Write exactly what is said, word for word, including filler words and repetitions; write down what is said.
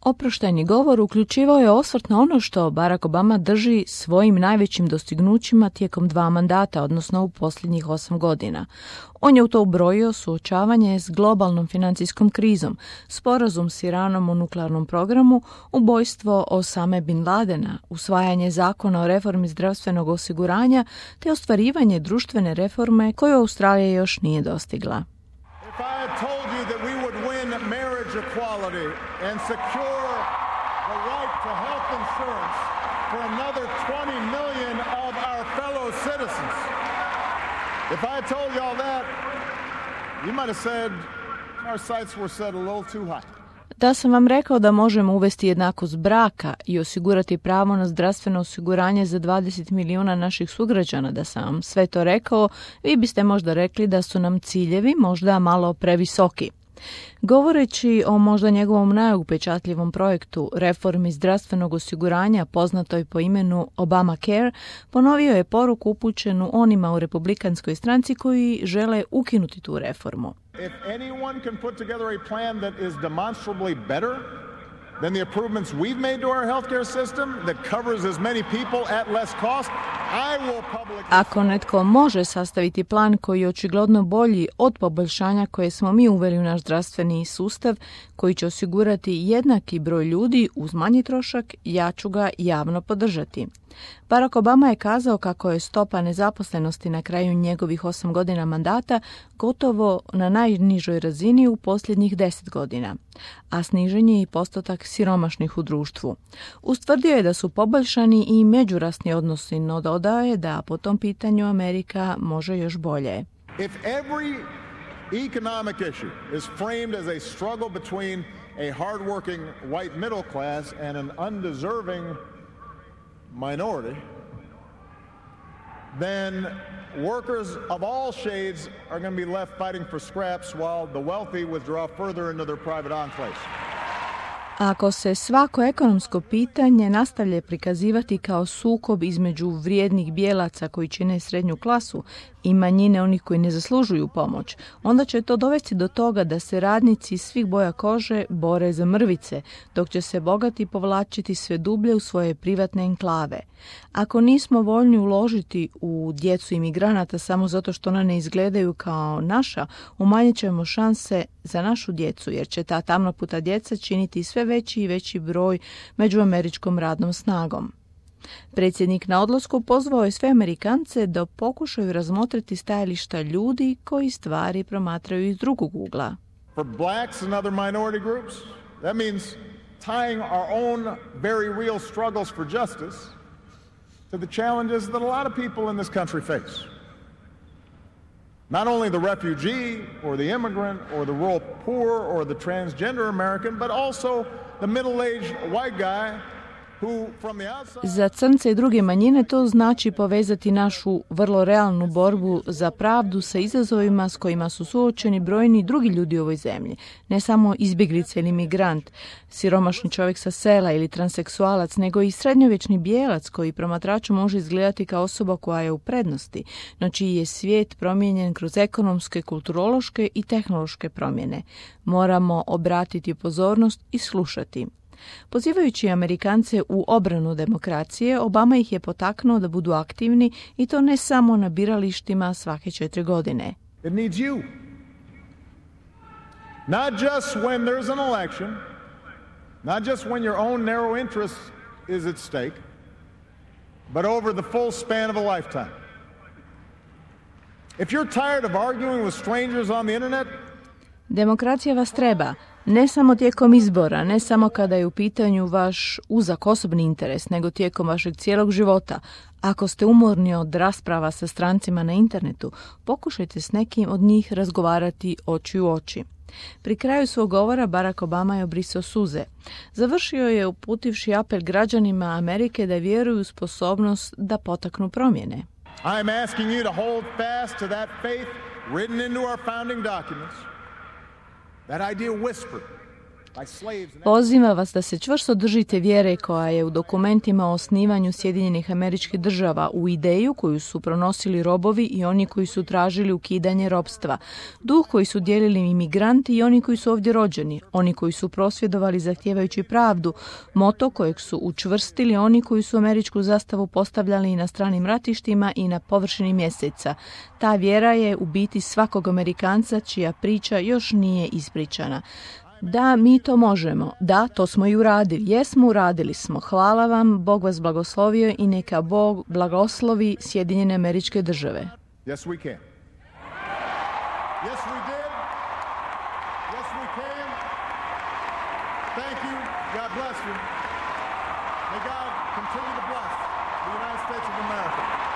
Oproštajni govor uključivao je osvrt na ono što Barack Obama drži svojim najvećim dostignućima tijekom dva mandata, odnosno u posljednjih osam godina. On je u to ubrojio suočavanje s globalnom financijskom krizom, sporazum s Iranom o nuklearnom programu, ubojstvo Osame bin Ladena, usvajanje zakona o reformi zdravstvenog osiguranja te ostvarivanje društvene reforme koju Australija još nije dostigla. If I had told you that we would win marriage equality and secure the right to health insurance for another twenty million of our fellow citizens, if I had told you all that, you might have said our sights were set a little too high. Da sam vam rekao da možemo uvesti jednakost braka i osigurati pravo na zdravstveno osiguranje za dvadeset milijuna naših sugrađana, da sam vam sve to rekao, vi biste možda rekli da su nam ciljevi možda malo previsoki. Govoreći o možda njegovom najupečatljivom projektu, reformi zdravstvenog osiguranja poznatoj po imenu Obamacare, ponovio je poruku upućenu onima u republikanskoj stranci koji žele ukinuti tu reformu. If anyone can put together a plan that is demonstrably better than the improvements we've made to our healthcare system that covers as many people at less cost, I will publicly... Ako netko može sastaviti plan koji je očigledno bolji od poboljšanja koje smo mi uveli u naš zdravstveni sustav, koji će osigurati jednaki broj ljudi uz manji trošak, ja ću ga javno podržati. Barack Obama je kazao kako je stopa nezaposlenosti na kraju njegovih osam godina mandata gotovo na najnižoj razini u posljednjih deset godina, a snižen je i postotak siromašnih u društvu. Ustvrdio je da su poboljšani i međurasni odnosi, no dodao je da po tom pitanju Amerika može još bolje. If every economic issue is framed as a struggle between a hardworking white middle class and an undeserving minority, then workers of all shades are going to be left fighting for scraps while the wealthy withdraw further into their private enclaves. Ako se svako ekonomsko pitanje nastavlja prikazivati kao sukob između vrijednih bijelaca koji čine srednju klasu i manjine onih koji ne zaslužuju pomoć, onda će to dovesti do toga da se radnici svih boja kože bore za mrvice, dok će se bogati povlačiti sve dublje u svoje privatne enklave. Ako nismo voljni uložiti u djecu imigranata samo zato što ona ne izgledaju kao naša, umanjit ćemo šanse za našu djecu, jer će ta tamnoputa djeca činiti sve veći i veći broj među američkom radnom snagom. Predsjednik na odlasku pozvao je sve Amerikance da pokušaju razmotriti stajališta ljudi koji stvari promatraju iz drugog ugla. For blacks and other minority groups, that means tying our own very real struggles for justice to the challenges that a lot of people in this country face. Not only the refugee or the immigrant or the rural poor or the transgender American, but also the middle-aged white guy who from the outside... Za crnce i druge manjine to znači povezati našu vrlo realnu borbu za pravdu sa izazovima s kojima su suočeni brojni drugi ljudi u ovoj zemlji. Ne samo izbjeglice ili migrant, siromašni čovjek sa sela ili transseksualac, nego i srednjovječni bijelac koji promatraču može izgledati kao osoba koja je u prednosti, no čiji je svijet promijenjen kroz ekonomske, kulturološke i tehnološke promjene. Moramo obratiti pozornost i slušati. Pozivajući Amerikance u obranu demokracije, Obama ih je potaknuo da budu aktivni i to ne samo na biralištima svake četiri godine. It needs you. Not just when there's an election, not just when your own narrow interest is at stake, but over the full span of a lifetime. If you're tired of arguing with strangers on the internet, demokracija vas treba, ne samo tijekom izbora, ne samo kada je u pitanju vaš uzak osobni interes, nego tijekom vašeg cijelog života. Ako ste umorni od rasprava sa strancima na internetu, pokušajte s nekim od njih razgovarati oči u oči. Pri kraju svog govora Barack Obama je obrisao suze. Završio je uputivši apel građanima Amerike da vjeruju u sposobnost da potaknu promjene. I'm asking you to hold fast to that faith written into our founding documents. That idea whispered Poziva vas da se čvrsto držite vjere koja je u dokumentima o osnivanju Sjedinjenih Američkih Država, u ideju koju su pronosili robovi i oni koji su tražili ukidanje ropstva, duh koji su dijelili imigranti i oni koji su ovdje rođeni, oni koji su prosvjedovali zahtijevajući pravdu, moto kojeg su učvrstili oni koji su američku zastavu postavljali i na stranim ratištima i na površini mjeseca. Ta vjera je u biti svakog Amerikanca čija priča još nije ispričana. Da, mi to možemo. Da, to smo i uradili. Jesmo, uradili smo. Hvala vam, Bog vas blagoslovio i neka Bog blagoslovi Sjedinjene Američke Države. Yes, we can. Yes, we did. Yes, we can. Thank you. God bless you. May God continue to bless the United States of America.